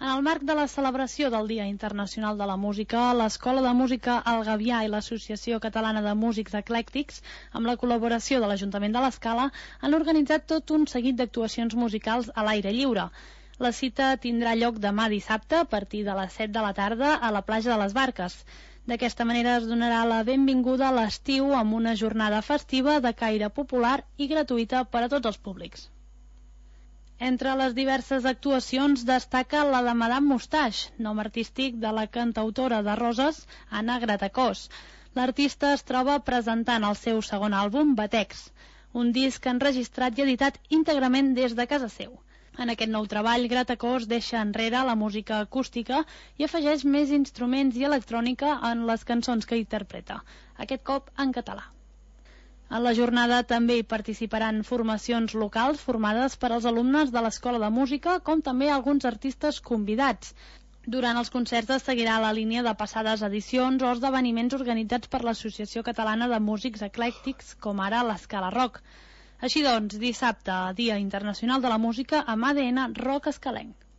En el marc de la celebració del Dia Internacional de la Música, l'Escola de Música El Gavià i l'Associació Catalana de Músics Eclèctics, amb la col·laboració de l'Ajuntament de l'Escala, han organitzat tot un seguit d'actuacions musicals a l'aire lliure. La cita tindrà lloc demà dissabte a partir de les 7 de la tarda a la platja de les Barques. D'aquesta manera es donarà la benvinguda a l'estiu amb una jornada festiva de caire popular i gratuïta per a tots els públics. Entre les diverses actuacions destaca la de Madame Moustache, nom artístic de la cantautora de Roses, Anna Gratacós. L'artista es troba presentant el seu segon àlbum, Batex, un disc enregistrat i editat íntegrament des de casa seu. En aquest nou treball, Gratacós deixa enrere la música acústica i afegeix més instruments i electrònica en les cançons que interpreta, aquest cop en català. En la jornada també hi participaran formacions locals formades per als alumnes de l'Escola de Música, com també alguns artistes convidats. Durant els concerts es seguirà la línia de passades edicions o esdeveniments organitzats per l'Associació Catalana de Músics Eclèctics, com ara l'Escala Rock. Així doncs, dissabte, Dia Internacional de la Música, amb ADN Rock Escalenc.